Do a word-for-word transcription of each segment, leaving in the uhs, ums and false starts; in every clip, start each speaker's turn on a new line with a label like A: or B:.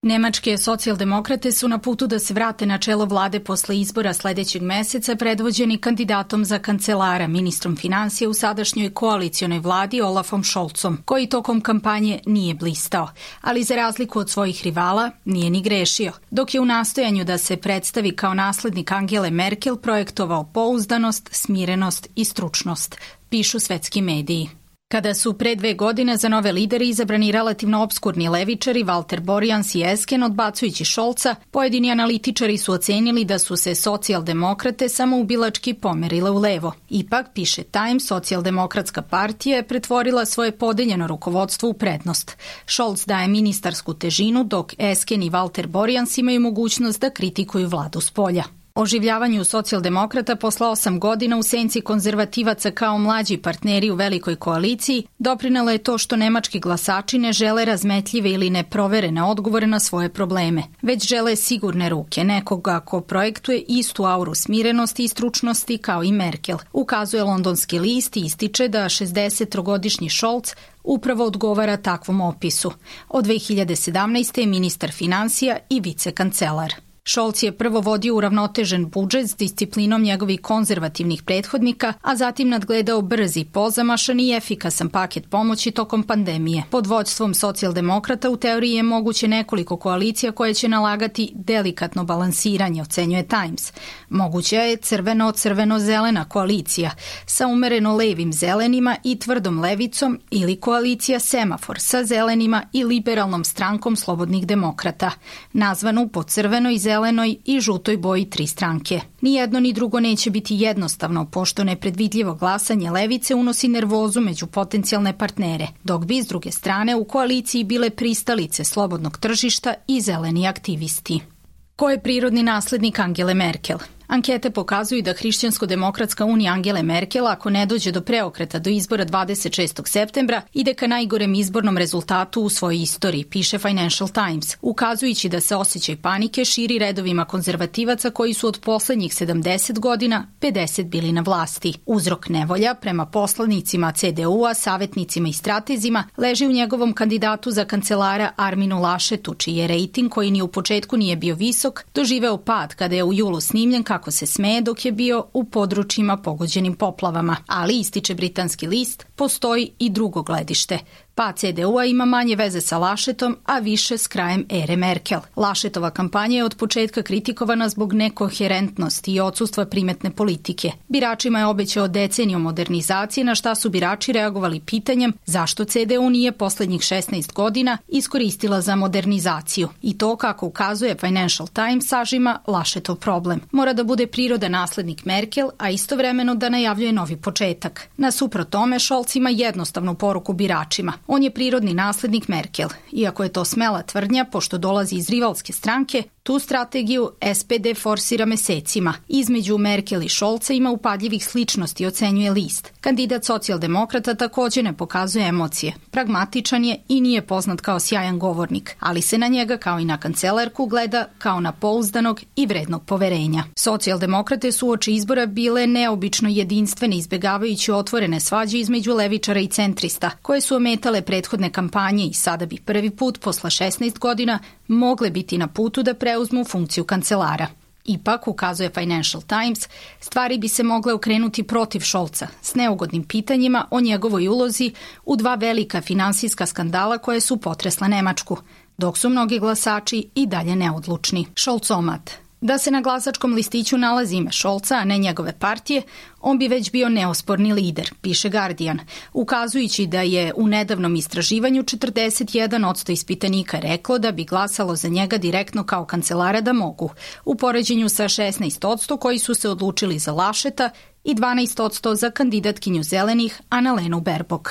A: Nemačke socijaldemokrate su na putu da se vrate na čelo vlade posle izbora sledećeg meseca, predvođeni kandidatom za kancelara, ministrom finansija u sadašnjoj koalicionoj vladi Olafom Scholzom, koji tokom kampanje nije blistao, ali za razliku od svojih rivala nije ni grešio, dok je u nastojanju da se predstavi kao naslednik Angele Merkel projektovao pouzdanost, smirenost i stručnost, pišu svetski mediji. Kada su pre dve godine za nove lidere izabrani relativno obskurni levičari Walter Borjans i Esken odbacujući Scholza, pojedini analitičari su ocenili da su se socijaldemokrate samoubilački pomerile u levo. Ipak, piše Time, socijaldemokratska partija je pretvorila svoje podeljeno rukovodstvo u prednost. Scholz daje ministarsku težinu, dok Esken i Walter Borjans imaju mogućnost da kritikuju vladu s polja. Oživljavanju socijaldemokrata posle osam godina u senci konzervativaca kao mlađi partneri u velikoj koaliciji doprinelo je to što nemački glasači ne žele razmetljive ili neproverene odgovore na svoje probleme, već žele sigurne ruke, nekoga ko projektuje istu auru smirenosti i stručnosti kao i Merkel. Ukazuje londonski list i ističe da šezdesettrogodišnji Scholz upravo odgovara takvom opisu. Od dve hiljade sedamnaeste. je ministar finansija i vicekancelar. Scholz je prvo vodio uravnotežen budžet s disciplinom njegovih konzervativnih prethodnika, a zatim nadgledao brzi, pozamašan i efikasan paket pomoći tokom pandemije. Pod vođstvom socijaldemokrata u teoriji je moguće nekoliko koalicija koje će nalagati delikatno balansiranje, ocenjuje Times. Moguća je crveno-crveno-zelena koalicija sa umereno levim zelenima i tvrdom levicom ili koalicija semafor sa zelenima i liberalnom strankom slobodnih demokrata, nazvanu po crvenoj i zelenoj zelenoj i žutoj boji tri stranke. Ni jedno ni drugo neće biti jednostavno, pošto nepredvidljivo glasanje levice unosi nervozu među potencijalne partnere, dok bi s druge strane u koaliciji bile pristalice slobodnog tržišta i zeleni aktivisti. Ko je prirodni naslednik Angele Merkel? Ankete pokazuju da Hrišćansko-demokratska unija Angele Merkel, ako ne dođe do preokreta do izbora dvadeset šestog septembra, ide ka najgorem izbornom rezultatu u svojoj istoriji, piše Financial Times, ukazujući da se osjećaj panike širi redovima konzervativaca koji su od poslednjih sedamdeset godina pedeset bili na vlasti. Uzrok nevolja prema poslanicima C D U-a, savetnicima i stratezima leži u njegovom kandidatu za kancelara Arminu Laschetu, čiji je rejting, koji ni u početku nije bio visok, doživeo pad kada je u julu snimljen kako se smeje dok je bio u područjima pogođenim poplavama. Ali, ističe britanski list, postoji i drugo gledište. Pa C D U-a ima manje veze sa Laschetom, a više s krajem ere Merkel. Laschetova kampanja je od početka kritikovana zbog nekoherentnosti i odsustva primetne politike. Biračima je obećao deceniju modernizacije, na šta su birači reagovali pitanjem zašto C D U nije poslednjih šesnaest godina iskoristila za modernizaciju. I to, kako ukazuje Financial Times, sažima Laschetov problem. Mora da bude priroda naslednik Merkel, a istovremeno da najavljuje novi početak. Nasuprot tome, Scholz ima jednostavnu poruku biračima. On je prirodni naslednik Merkel. Iako je to smela tvrdnja, pošto dolazi iz rivalske stranke, tu strategiju S P D forsira mesecima. Između Merkel i Scholza ima upadljivih sličnosti, ocenjuje list. Kandidat socijaldemokrata takođe ne pokazuje emocije. Pragmatičan je i nije poznat kao sjajan govornik, ali se na njega kao i na kancelarku gleda kao na pouzdanog i vrednog poverenja. Socijaldemokrate su uoči izbora bile neobično jedinstvene, izbegavajući otvorene svađe između levičara i centrista, koje su ometale prethodne kampanje i sada bi prvi put posle šesnaest godina mogle biti na putu da preuzmu funkciju kancelara. Ipak, ukazuje Financial Times, stvari bi se mogle okrenuti protiv Scholza s neugodnim pitanjima o njegovoj ulozi u dva velika finansijska skandala koje su potresla Nemačku, dok su mnogi glasači i dalje neodlučni. Scholzomat. Da se na glasačkom listiću nalazi ime Scholza, a ne njegove partije, on bi već bio neosporni lider, piše Guardian, ukazujući da je u nedavnom istraživanju četrdeset jedan posto ispitanika reklo da bi glasalo za njega direktno kao kancelara da mogu, u poređenju sa šesnaest posto koji su se odlučili za Lascheta i dvanaest posto za kandidatkinju zelenih Annalenu Baerbock.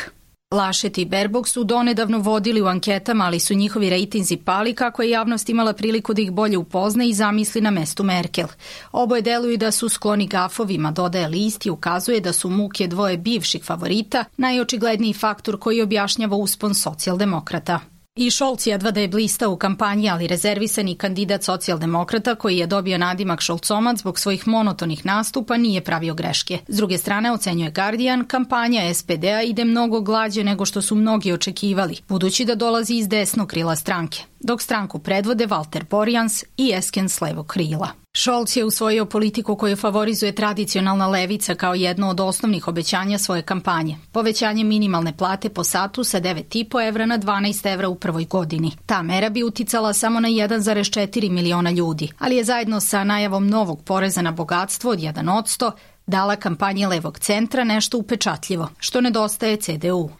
A: Laschet i Baerbock su donedavno vodili u anketama, ali su njihovi rejtinzi pali kako je javnost imala priliku da ih bolje upozna i zamisli na mestu Merkel. Oboje deluju da su skloni gafovima, dodaje list i ukazuje da su muke dvoje bivših favorita najočigledniji faktor koji objašnjava uspon socijaldemokrata. I Scholz jedva da je blistao u kampanji, ali rezervisani kandidat socijaldemokrata koji je dobio nadimak Scholzomac zbog svojih monotonih nastupa nije pravio greške. S druge strane, ocenjuje Guardian, kampanja es pe de a ide mnogo glađe nego što su mnogi očekivali, budući da dolazi iz desnog krila stranke, dok stranku predvode Walter Borjans i Esken s levog krila. Scholz je usvojio politiku koju favorizuje tradicionalna levica kao jedno od osnovnih obećanja svoje kampanje. Povećanje minimalne plate po satu sa devet i po evra na dvanaest evra u prvoj godini. Ta mera bi uticala samo na jedan zarez četiri miliona ljudi, ali je zajedno sa najavom novog poreza na bogatstvo od jedan posto dala kampanji levog centra nešto upečatljivo, što nedostaje ce de u.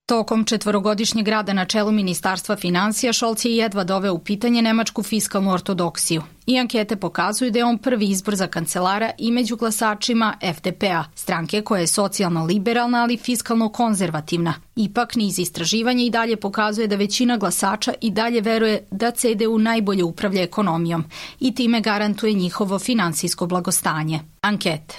A: Tokom četvorogodišnjeg rada na čelu Ministarstva finansija, Scholz je jedva doveo u pitanje nemačku fiskalnu ortodoksiju. I ankete pokazuju da je on prvi izbor za kancelara i među glasačima ef de pe a, stranke koja je socijalno liberalna, ali fiskalno konzervativna. Ipak, niz istraživanja i dalje pokazuje da većina glasača i dalje veruje da ce de u najbolje upravlja ekonomijom i time garantuje njihovo finansijsko blagostanje. Ankete.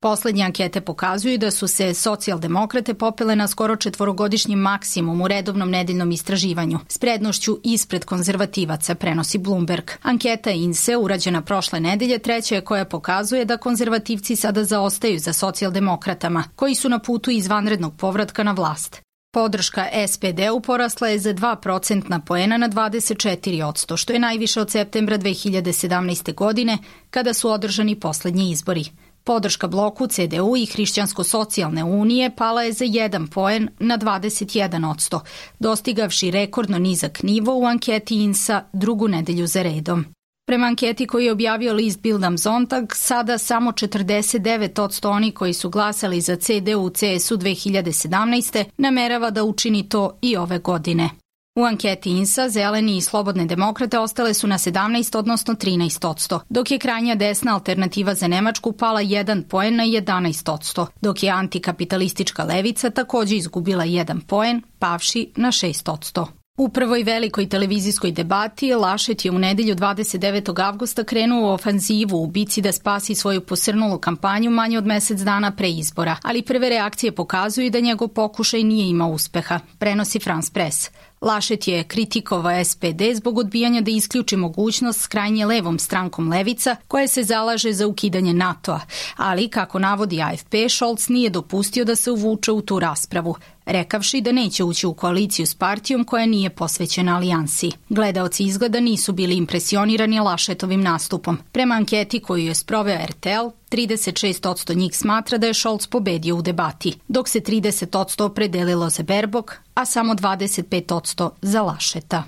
A: Poslednje ankete pokazuju da su se socijaldemokrate popele na skoro četvorogodišnji maksimum u redovnom nedeljnom istraživanju, s prednošću ispred konzervativaca, prenosi Bloomberg. Anketa I N S E, urađena prošle nedelje, treća je koja pokazuje da konzervativci sada zaostaju za socijaldemokratama, koji su na putu izvanrednog povratka na vlast. Podrška es pe de u porasla je za dva procentna poena na dvadeset četiri posto, što je najviše od septembra dve hiljade sedamnaeste. godine, kada su održani poslednji izbori. Podrška bloku ce de u i Hrišćansko-socijalne unije pala je za jedan poen na dvadeset jedan posto, dostigavši rekordno nizak nivo u anketi I N S A drugu nedelju za redom. Prema anketi koju je objavio list Bild am Sonntag, sada samo četrdeset devet posto oni koji su glasali za ce de u ce es u dve hiljade sedamnaeste. namerava da učini to i ove godine. U anketi I N S A zeleni i slobodne demokrate ostale su na sedamnaest, odnosno trinaest posto, dok je krajnja desna alternativa za Nemačku pala jedan poen na jedanaest posto, dok je antikapitalistička levica takođe izgubila jedan poen, pavši na šest posto. U prvoj velikoj televizijskoj debati Laschet je u nedelju dvadeset devetog avgusta krenuo u ofanzivu u bici da spasi svoju posrnulu kampanju manje od mesec dana pre izbora, ali prve reakcije pokazuju da njegov pokušaj nije imao uspeha, prenosi France Press. Laschet je kritikovao es pe de zbog odbijanja da isključi mogućnost s krajnje levom strankom Levica koja se zalaže za ukidanje NATO-a, ali, kako navodi a ef pe, Scholz nije dopustio da se uvuče u tu raspravu, rekavši da neće ući u koaliciju s partijom koja nije posvećena alijansi. Gledaoci izgleda nisu bili impresionirani Laschetovim nastupom. Prema anketi koju je sproveo er te el, trideset šest posto njih smatra da je Scholz pobedio u debati, dok se trideset posto opredelilo za Baerbock, a samo dvadeset pet posto za Lascheta.